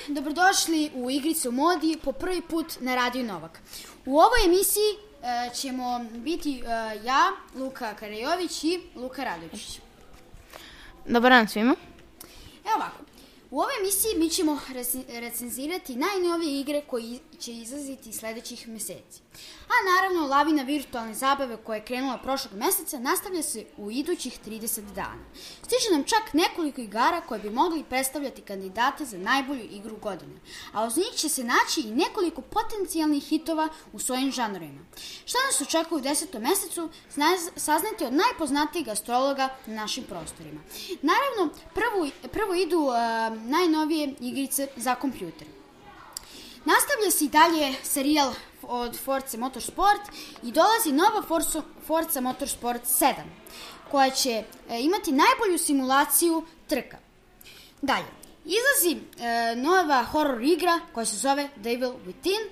dobrodošli u Igrice u modi po prvi put na Radio Novak. U ovoj emisiji ćemo biti ja, Luka Karajović i Luka Radović. Dobar dan svima. Evo ovako, u ovoj emisiji mi ćemo recenzirati najnovije igre koji će izlaziti sledećih meseci. A naravno, lavina virtualne zabave koja je krenula prošlog meseca nastavlja se u idućih 30 dana. Stiže nam čak nekoliko igara koje bi mogli predstavljati kandidate za najbolju igru godine, a uz njih će se naći i nekoliko potencijalnih hitova u svojim žanrovima. Šta nas očekuje u 10. mesecu, saznajte od najpoznatijih astrologa na našim prostorima. Naravno, prvo idu najnovije igrice za kompjuter. Nastavlja se i dalje serijal od Forza Motorsport i dolazi nova Forza Motorsport 7, koja će imati najbolju simulaciju trka. Dalje, izlazi nova horror igra koja se zove Devil Within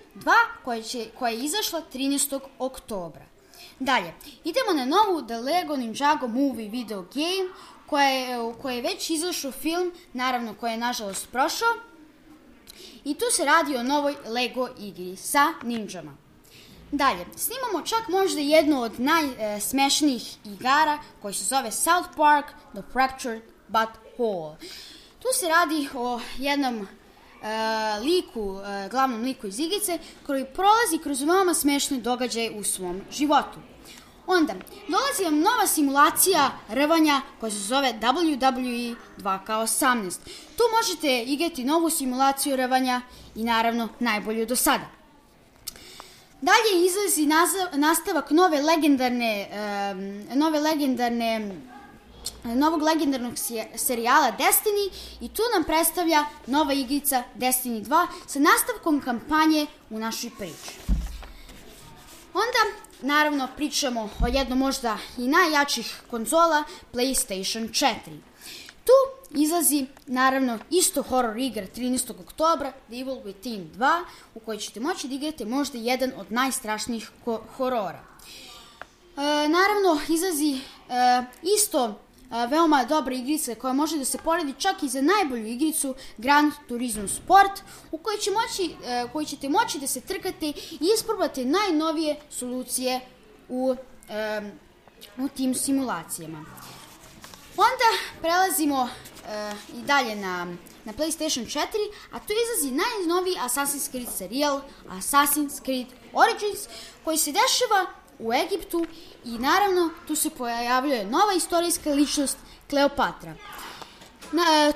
2, koja je izašla 13. oktobra. Dalje, idemo na novu The Lego Ninjago Movie video game, koja je već izašao film, naravno koja je nažalost prošao. I tu se radi o novoj Lego igri sa ninjama. Dalje, snimamo čak možda jednu od najsmešnijih igara koja se zove South Park The Fractured But Whole. Tu se radi o jednom glavnom liku iz igrice koji prolazi kroz veoma smešne događaje u svom životu. Onda, dolazi vam nova simulacija rvanja koja se zove WWE 2K18. Tu možete igrati novu simulaciju rvanja i naravno najbolju do sada. Dalje izlazi nastavak novog legendarnog serijala Destiny i tu nam predstavlja nova igrica Destiny 2 sa nastavkom kampanje u našoj priči. Onda, naravno, pričamo o jednom možda i najjačih konzola, PlayStation 4. Tu izlazi, naravno, isto horror igra 13. oktobra, Devil Within 2, u kojoj ćete moći da igrate možda jedan od najstrašnijih horora. Naravno, izlazi isto veoma dobra igrica koja može da se poredi čak i za najbolju igricu Gran Turismo Sport, u kojoj ćete moći da se trkate i isprobate najnovije solucije u tim simulacijama. Onda prelazimo i dalje na PlayStation 4, a tu izlazi najnoviji Assassin's Creed serijal Assassin's Creed Origins, koji se dešava u Egiptu i naravno tu se pojavljuje nova istorijska ličnost Kleopatra.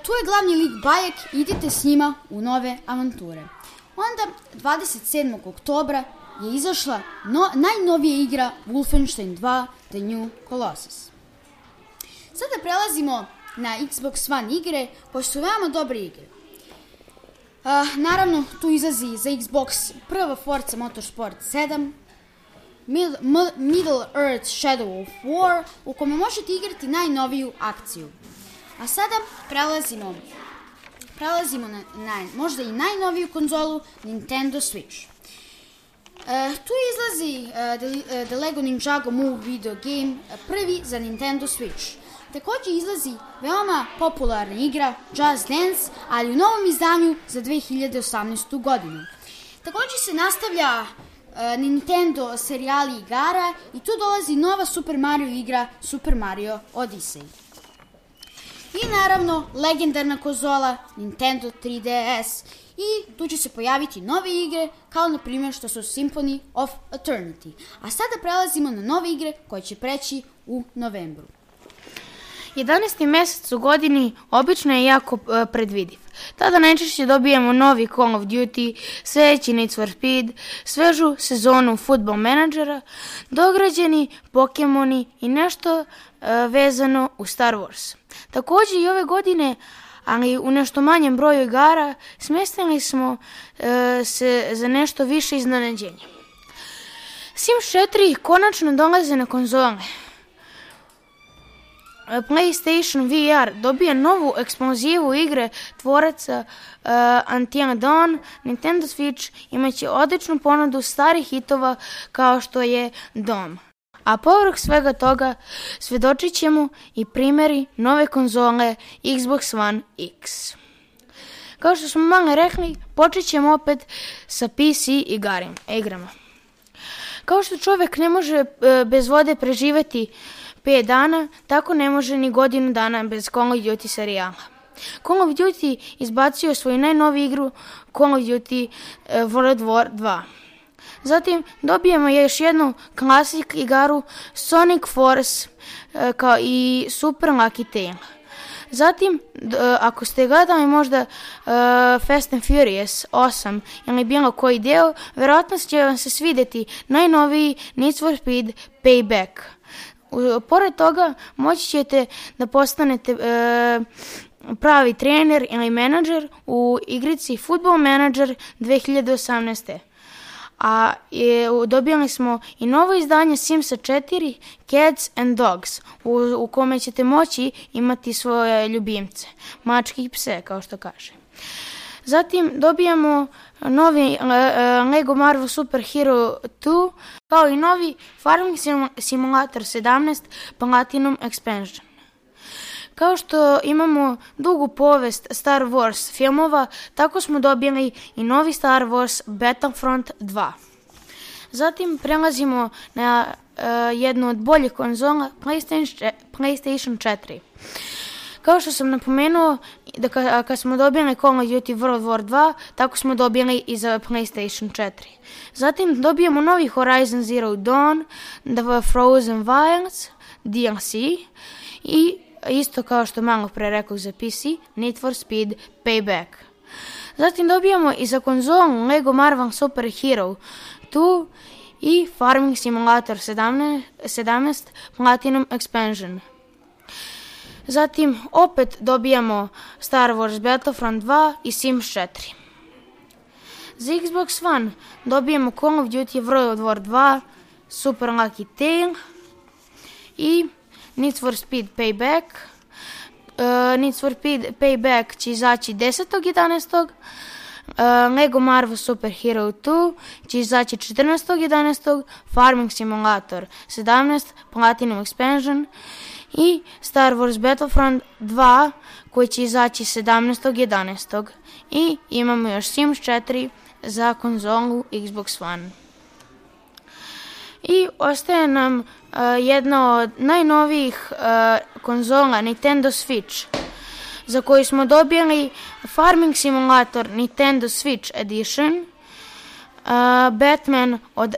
Tu je glavni lik Bajek, idite s njima u nove avanture. Onda 27. oktobra je izašla najnovija igra Wolfenstein 2 The New Colossus. Sada prelazimo na Xbox One igre koje su veoma dobre igre. Naravno tu izlazi za Xbox prva Forza Motorsport 7, Middle Earth Shadow of War, u kome možete igrati najnoviju akciju. A sada prelazimo na možda i najnoviju konzolu Nintendo Switch. Tu izlazi The Lego Ninjago Movie video game, prvi za Nintendo Switch. Također izlazi veoma popularna igra Just Dance, ali u novom izdanju za 2018. godinu. Također se nastavlja Nintendo serijali igara i tu dolazi nova Super Mario igra Super Mario Odyssey. I naravno legendarna konzola Nintendo 3DS i tu će se pojaviti nove igre kao na primjer što su Symphony of Eternity. A sada prelazimo na nove igre koje će preći u novembru. 11. mesec u godini obično je jako predvidiv. Tada najčešće dobijemo novi Call of Duty, sledeći Need for Speed, svežu sezonu Football Managera, dograđeni Pokemoni i nešto vezano u Star Wars. Također i ove godine, ali u nešto manjem broju igara, smestili smo se za nešto više iznenađenja. Sims 4 konačno dolaze na konzole. PlayStation VR dobija novu eksplozivu igre tvoraca Until Dawn. Nintendo Switch imaće odličnu ponudu starih hitova kao što je Dom. A povrh svega toga svedočit ćemo i primjeri nove konzole Xbox One X. Kao što smo malo rekli, počet ćemo opet sa PC igrama. Kao što čovjek ne može bez vode preživjeti 5 dana, tako ne može ni godinu dana bez Call of Duty serijala. Call of Duty izbacio svoju najnoviju igru Call of Duty World War 2. Zatim dobijemo još jednu klasik igaru Sonic Force kao i Super Lucky Tail. Zatim, ako ste gledali možda Fast and Furious 8 ili bilo koji deo, vjerojatno će vam se svidjeti najnoviji Need for Speed Payback. Pored toga, moći ćete da postanete pravi trener ili menadžer u igrici Football Manager 2018. A dobili smo i novo izdanje Simsa 4 Cats and Dogs u kome ćete moći imati svoje ljubimce, mačke i pse kao što kaže. Zatim dobijamo novi Lego Marvel Super Hero 2 kao i novi Farming Simulator 17 Platinum Expansion. Kao što imamo dugu povest Star Wars filmova, tako smo dobili i novi Star Wars Battlefront 2. Zatim prelazimo na jednu od boljih konzola, PlayStation 4. Kao što sam napomenuo, kad smo dobili Call of Duty World War 2, tako smo dobili i za PlayStation 4. Zatim dobijemo novi Horizon Zero Dawn, The Frozen Wilds, DLC i isto kao što malo pre rekao za PC, Need for Speed Payback. Zatim dobijamo i za konzolu Lego Marvel Super Hero 2 i Farming Simulator 17 Platinum Expansion. Zatim opet dobijamo Star Wars Battlefront 2 i Sims 4. Za Xbox One dobijamo Call of Duty World War 2, Super Lucky Tail i Need for Speed Payback. Need for Speed Payback će izaći 10.11. Lego Marvel Super Hero 2 će izaći 14.11. Farming Simulator 17 Platinum Expansion i Star Wars Battlefront 2 koji će izaći 17.11. I imamo još Sims 4 za konzolu Xbox One. I ostaje nam jedna od najnovijih konzola Nintendo Switch, za koju smo dobili Farming Simulator Nintendo Switch Edition, Batman od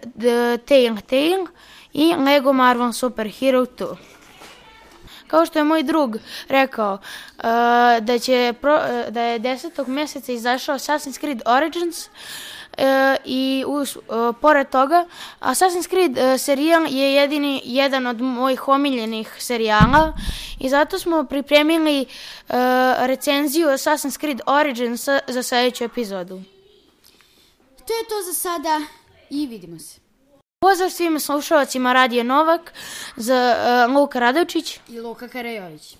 Telltale i Lego Marvel Super Hero 2. Kao što je moj drug rekao da je 10. mjeseca izašao Assassin's Creed Origins, i pored toga Assassin's Creed serijal je jedan od mojih omiljenih serijala i zato smo pripremili recenziju Assassin's Creed Origins za sljedeću epizodu. To je to za sada i vidimo se. Pozdrav svim slušalcima Radio Novak za Luka Radovčić i Luka Karajović.